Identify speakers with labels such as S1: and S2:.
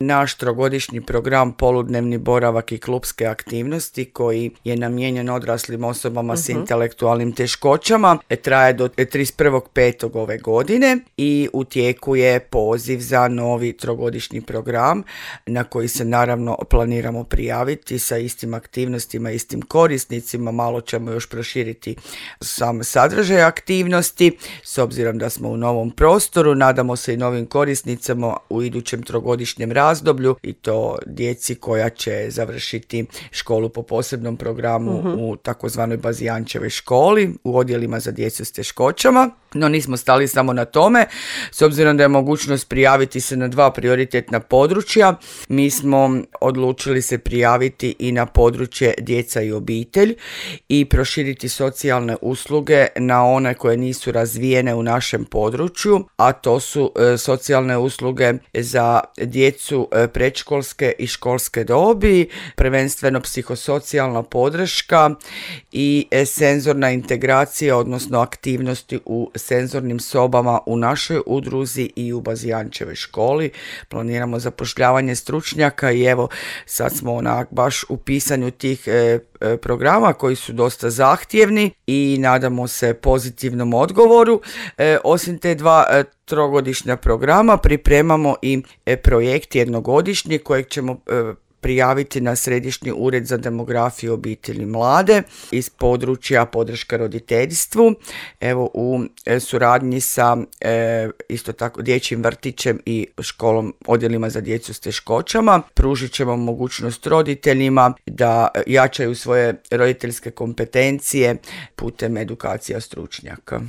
S1: naš trogodišnji program poludnevni boravak i klupske aktivnosti koji je namijenjen odraslim osobama s intelektualnim teškoćama traje do 31.5. ove godine i u tijeku je poziv za novi trogodišnji program na koji se naravno planiramo prijaviti sa istim aktivnostima, istim korisnicima. Malo ćemo još proširiti sam sadržaj aktivnosti s obzirom da smo u novom prostoru. Nadamo se i novim korisnicama u idućem trogodišnjem razdoblju i to djeci koja će završiti školu po posebnom programu u takozvanoj Bazijančevoj školi u odjelima za djecu s teškoćama. No nismo stali samo na tome, s obzirom da je mogućnost prijaviti se na 2 prioritetna područja. Mi smo odlučili se prijaviti i na područje djeca i obitelj i proširiti socijalne usluge na one koje nisu razvijene u našem području, a to su socijalne usluge za djecu predškolske i školske dobi, prvenstveno psihosocijalna podrška i senzorna integracija, odnosno aktivnosti u senzornim sobama u našoj udruzi i u Bazijančevoj školi. Planiramo zapošljavanje stručnjaka i evo sad smo baš u pisanju tih programa koji su dosta zahtjevni i nadamo se pozitivnom odgovoru. Osim te 2 trogodišnja programa pripremamo i projekt jednogodišnji kojeg ćemo prijaviti na Središnji ured za demografiju, obitelj i mlade iz područja podrška roditeljstvu. Evo u suradnji sa isto tako dječjim vrtićem i školom, odjelima za djecu s teškoćama pružit ćemo mogućnost roditeljima da jačaju svoje roditeljske kompetencije putem edukacija stručnjaka.